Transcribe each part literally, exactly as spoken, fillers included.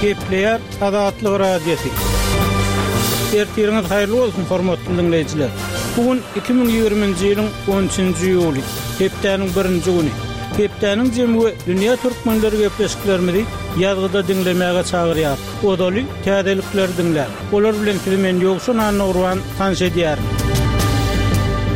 Gepleýär Azatlyk Radiosy. Ertiriňiz haýyrly bolsun, hormatly diňleýjiler. Bu gün iki müň ýigriminji ýylyň on üçünji iýuly, hepdäniň birinji güni. Hepdäniň jemi we dünýä türkmenleri gepleşiklerimizi ýazgyda diňlemäge çagyrýar. Ozaly täzelikleri diňläň. Olar bilen sizi men Ýowşan Annagurban tanyş edýärin.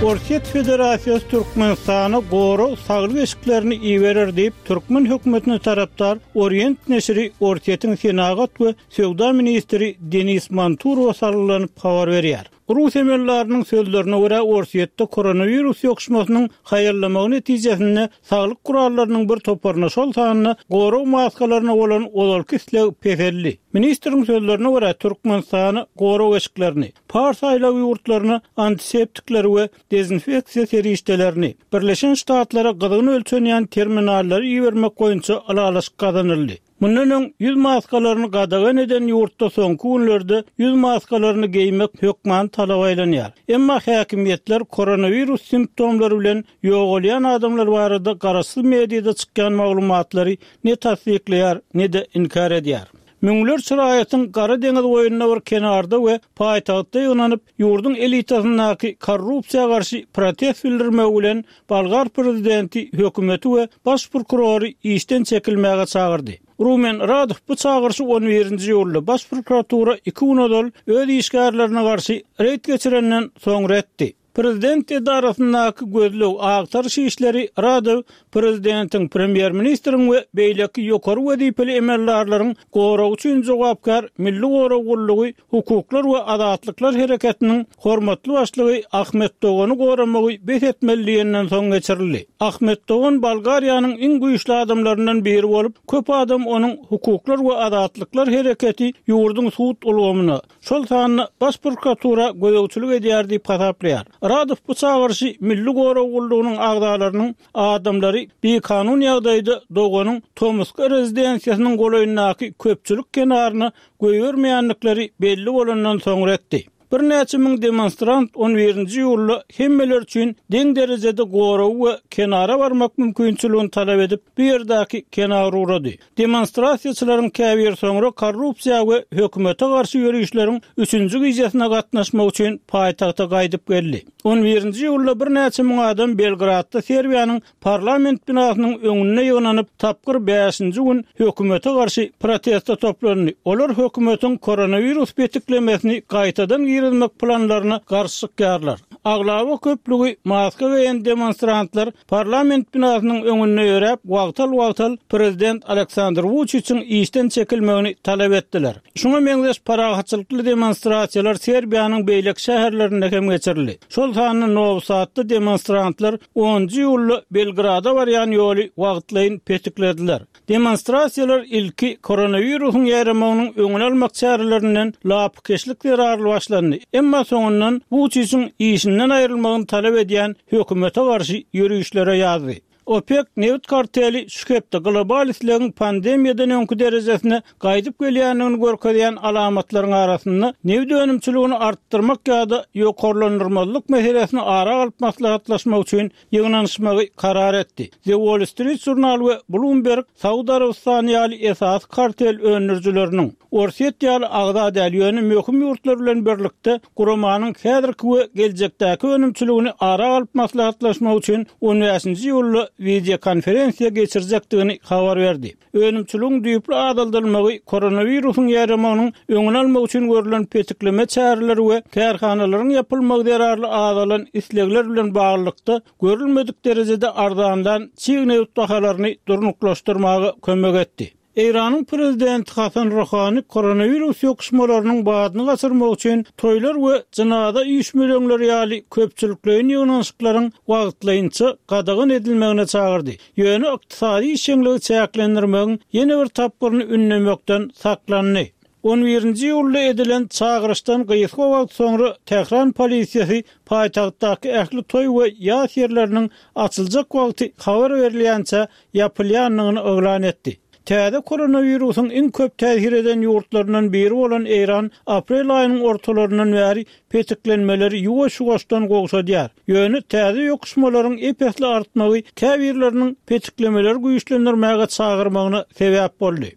Orsýet Federasiýasy Türkmenistana gorag saglyk eşiklerini iberer diýip, türkmen hökümetine tarapdar Orient neşiri Orsýetiň senagat we söwda ministri Denis Manturowa salgylanyp habar berýär. Rus emeldarynyň sözlerine görä, Orsýetde koronawirus ýokuşmasynyň haýallamagy netijesinde saglyk gurallarynyň bir toparyna, şol sanda gorag maskalaryna bolan ozalky isleg peseldi. Ministriň sözlerine görä, Türkmenistana gorag eşiklerini, Pars aýlagy ýurtlaryna antiseptikleri we dezinfeksiýa serişdelerini, Birleşen Ştatlara gyzgyn ölçenýän terminallary ibermek boýunça ylalaşyk gazanyldy. Mundan öň ýüz maskalaryny gadagan eden ýurtda soňky günlerde ýüz maskalaryny geýmek hökman talaba aýlanýar. Emma häkimiýetler koronawirus simptomlary bilen ýogalýan adamlar barada garaşsyz mediada çykýan maglumatlary ne tassyklaýar, ne-de inkär edýär. Müňlerçe raýatyň Gara deňiz boýunda bir kenarda we paýtagtda ýygnanyp, ýurduň elitasyndaky korrupsiýa garşy protest bildirmegi bilen bolgar prezidenti hökümeti we baş prokurory işden çekilmäge çagyrdy. Rumen Radow bu çagyryşy on birinji iýulda baş prokuratura iki gün ozal öz işgärlerine garşy reýd geçirenden soňra etdi. Prezident edarasyndaky gözleg agtaryş işleri Radow prezidentiň, premýer-ministriň we beýleki ýokary wezipeli emeldarlaryň goragy üçin jogapkär Milli gorag gullugy Hukuklar we azatlyklar hereketiniň hormatly başlygy Ahmet Dogany goramagy bes etmeli diýenden soň geçirildi. Ahmet Dogan Bolgariýanyň iň güýçli adamlaryndan biri bolup, köp adam onuň Hukuklar we azatlyklar hereketi ýurduň sud ulgamyna, şol sanda Baş prokuratura gözegçilik edýär diýip hasaplaýar. Radow bu çagyryşy Milli gorag gullugynyň agzalarynyň adamlary bikanun ýagdaýda Doganyň tomusky rezidensiýasynyň golaýyndaky köpçülik kenaryna goýbermeýändikleri belli bolandan soňra etdi. Birnäçe müň demonstrant on birinji iýulda hemmeler üçin deň derejede goragy we kenara barmak mümkinçiligini talap edip, bu ýerdäki kenar ugrady. Demonstrasiýaçylaryň käbiri soňra korrupsiýa we hökümete garşy ýörişleriň üçünji gijesine gatnaşmak üçin paýtagta gaýdyp geldi. On birinji iýulda birnäçe müň adam Belgradda Serbiýanyň parlament binasynyň öňünde ýygnanyp, tapgyr bäşinji gün hökümete garşy proteste toplandy. Olar hökümetiň koronawirus petiklemesini gaýtadan girizmek planlaryna garşy çykýarlar. Aglaba köplügi maska geýen demonstrantlar parlament binasynyň öňünde ýöräp, wagtal-wagtal prezident Aleksandr Wuçiçiň işden çekilmegini talap etdiler. Şuňa meňzeş parahatçylykly demonstrasiýalar Serbiýanyň beýleki şäherlerinde hem geçirildi. Şol sanda Nowi Sadda demonstrantlar onunjy iýulda Belgrada barýan ýoly wagtlaýyn petiklediler. Demonstrasiýalar ilki koronawirusyň ýaýramagynyň öňüni almak çärelerinden lapykeçlik zerarly başlandy, emma soňundan Wuçiçiň işinden aýrylmagyny talap edýän hökümete garşy ýörişlere ýazdy. OPEC nebit karteli şu hepde global islegiň pandemiýadan öňki derejesine gaýdyp gelýändigini görkezýän alamatlaryň arasynda nebit önümçiligini artdyrmak ýa-da ýokarlandyrmazlyk meselesini ara alyp maslahatlaşmak üçin ýygnanyşmagy karar etdi. The Wall Street Journal we Bloomberg Saud Arabystany ýaly esasy kartel öndürijileriniň, Orsýet ýaly agza däl, ýöne möhüm ýurtlar bilen birlikde guramanyň häzirki we geljekdäki önümçiligini ara alyp maslahatlaşmak üçin on bäşinji iýulda wideokonferensiýa geçirjekdigini habar berdi. Önümçiligiň düýpli azaldylmagy koronawirusyň ýaýramagynyň öňüni almak üçin görlen petikleme çäreleri we kärhanalaryň ýapylmagy zerarly azalan islegler bilen baglylykda görülmedik derejede arzanlan çig nebit bahalaryny durnuklaşdyrmaga kömek etdi. Eýranyň prezidenti Hasan Ruhani koronawirus ýokuşmalarynyň badyny gaçyrmak üçin toýlar we jynaza üýşmeleňleri ýaly köpçülikleýin ýygnanyşyklaryň wagtlaýynça gadagan edilmegine çagyrdy. Ýöne ykdysady işjeňligi çäklendirmegiň ýene bir tapgyryny ündemekden saklandy. On birinji iýulda edilen çagyryşdan gysga wagt soňra Tähran polisiýasy paýtagtdaky ähli toý we ýas ýerleriniň açyljak wagty habar berilýänçä ýapylýandygyny yglan etdi. Täze koronawirusyň iň köp täsir eden ýurtlaryndan biri bolan Eýran aprel aýynyň ortalaryndan bäri petiklenmeleri ýuwaş-ýuwaşdan gowşadýar. Ýöne täze ýokuşmalaryň ep-esli artmagy käbirleriniň petiklemeleri güýçlendirmäge çagyrmagyna sebäp boldy.